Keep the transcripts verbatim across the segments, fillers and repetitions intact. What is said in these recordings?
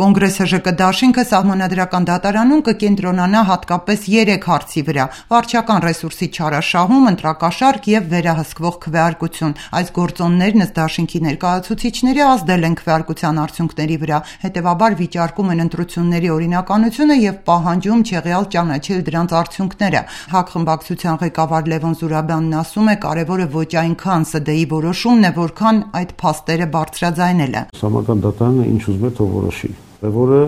Կոնգրես ՀԺԿ դաշինքը սահմանադրական դատարանում կկենտրոնանա հատկապես երեք հարցի վրա՝ վարչական ռեսուրսի չարաշահում, ընտրակաշառք եւ վերահսկվող քվեարկություն։ Այս գործոններն ըստ դաշինքի ներկայացուցիչների ազդել են քվեարկության արդյունքների վրա, հետեւաբար վիճարկում են ընտրությունների օրինականությունը եւ պահանջում չեղյալ ճանաչել դրանց արդյունքները։ ՀԱԿ խմբակցության ղեկավար Լևոն Զուրաբյանն ասում է, կարևորը ոչ այնքան ՍԴ-ի որոշումն է, որքան այդ փաստերը բարձրաձայնելը։ Սահմանադրական դատարանը ինչ ուզում է, թող որոշի, որը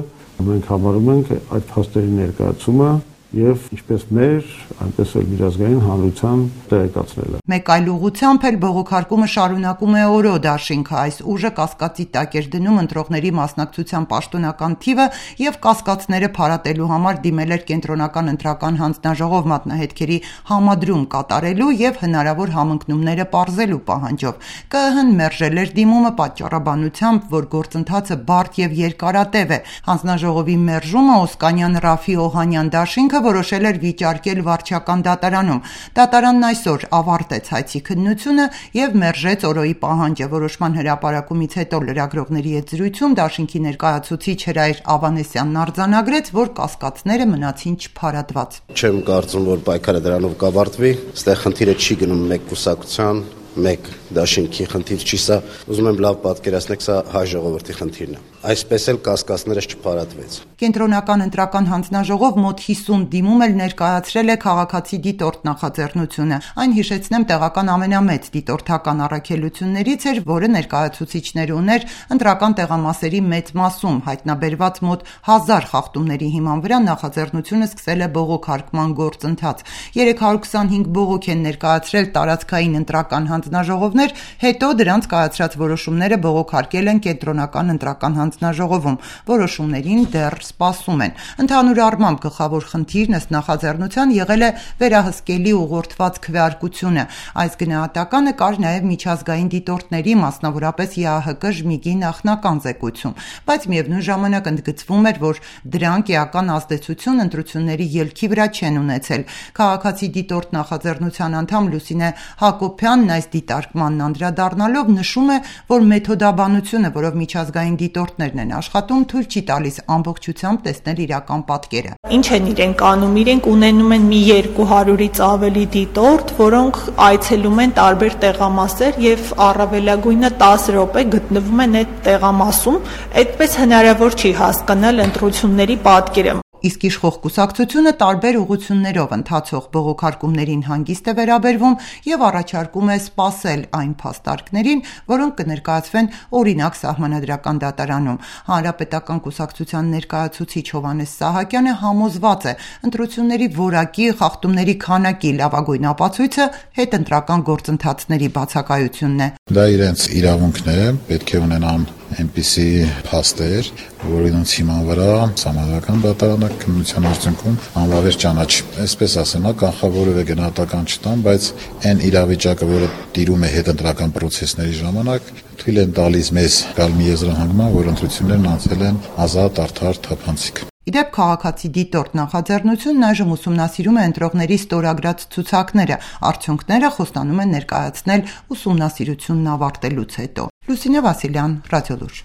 մենք համարում ենք այդ փաստերի ներկայացումը եւ ինչպես մեր, այնպես էլ միջազգային հանրության տեղեկացնելը։ Մեկ այլ ուղղությամբ էլ բողոքարկումը շարունակում է օրո դաշինքը։ Այս ուժը կասկածի տակ էր դնում ընտրողների մասնակցության պաշտոնական թիվը եւ կասկածները փարատելու համար դիմել էր կենտրոնական ընտրական հանձնաժողով մատնահետքերի համադրում կատարելու եւ հնարավոր համընկնումները պարզելու պահանջով։ ԿԸՀ-ն մերժել էր դիմումը պատճառաբանությամբ, որ գործընթացը բարդ եւ երկարատև է։ Հանձնաժողովի մերժումը Օսկանյան Ռաֆի Օհանյան դաշինքը որոշել էր վիճարկել վարչական դատարանում։ Դատարանն այսօր ավարտեց հայցի քննությունը եւ մերժեց օրոյի պահանջը։ Որոշման հրապարակումից հետո լրագրողների հետ զրույցում դաշինքի ներկայացուցիչ Հրայր Ավանեսյանն արձանագրեց, որ կասկածները մնացին չփարատված։ Չեմ կարծում, որ պայքարը դրանով կավարտվի։ Այստեղ խնդիրը չի գնում մեկ կուսակցության, մեկ դաշինքի խնդիր չի սա, ուզում եմ լավ պատկերացնեք, սա հայ ժողովրդի խնդիրն է։ Այսպես էլ կասկածներս չփարատվեց։ Կենտրոնական ընտրական հանձնաժողով մոտ հիսուն դիմում էլ ներկայացրել է քաղաքացի դիտորդ նախաձեռնությունը։ Այն հիշեցնեմ տեղական ամենամեծ դիտորդական առաքելություններից էր, որը ներկայացուցիչներ ուներ ընտրական տեղամասերի մեծ մասում, հայտնաբերված մոտ հազար խախտումների հիման վրա նախաձեռնությունը սկսել է բողոքարկման գործընթաց։ երեք հարյուր քսանհինգ բողոք են ներկայացրել տարածքային ընտրական հանձնաժողովներ, հետո դրանց կայացրած որոշումները բողոքարկել են կենտրոնական ընտրական հանձնաժողովում, որոշումներին դեռ սպասում են։ Ընդհանուր առմամբ գլխավոր խնդիրն ըստ նախաձեռնության եղել է վերահսկելի ուղղորդված քվեարկությունը։ Այս գնահատականը կար նաև միջազգային դիտորդների, մասնավորապես ԵԱՀԿ ԺՄԻԳ-ի նախնական զեկույցում, բայց միևնույն ժամանակ ընդգծվում էր, որ դրանք էական ազդեցություն ընտրությունների ելքի վրա չեն ունեցել։ Քաղաքացի դիտորդ նախաձեռնության անդամ Լուսինե Հակոբյանն այս դիտարկմանն անդրադառնալով նշում է, որ մեթոդաբանությունը, որով միջազգային դիտորդներն են աշխատում, թույլ չի տալիս ամբողջությամբ տեսնել իրական պատկերը։ Ինչ են իրենք անում, իրենք ունենում են մի երկու հարյուրից ավելի դիտորդ, որոնք այցելում են տարբեր տեղամասեր եւ առավելագույնը տասը րոպե գտնվում են այդ տեղամասում, այդպես հնարավոր չի հասկանալ ընտրությունների պատկերը։ Իսկ իշխող կուսակցությունը տարբեր ուղղություններով ընթացող բողոքարկումներին հանգիստ է վերաբերվում եւ առաջարկում է սպասել այն փաստարկներին, որոնք կներկայացվեն օրինակ սահմանադրական դատարանում։ Հանրապետական կուսակցության ներկայացուցիչ Հովհաննես Սահակյանը համոզված է, ընտրությունների որակի, խախտումների քանակի լավագույն ապացույցը հետընտրական գործընթացների բացակայությունն է։ Դա իրենց իրավունքն է, պետք է ունենան այնպիսի փաստեր, որոնց հիման վրա սահմանադրական դատարանը քննության արդյունքում անվավեր ճանաչի։ Այսպես ասեմ, կանխավորը գնահատական չտամ, բայց այն իրավիճակը, որը տիրում է հետընտրական process-ների ժամանակ, թույլ են տալիս մեզ գալ մի եզրահանգման, որ ընտրություններն անցել են ազատ, արդար, թափանցիկ։ Իդեպ քաղաքացի դիտորդ նախաձեռնությունն այժմ ուսումնասիրում է ընտրողների ստորագրած ցուցակները, արդյունքները խոստանում են ներկայացնել ուսումնասիրությունն ավարտելուց հետո։ Լուսինե Վասիլյան, Ռադիոլուր։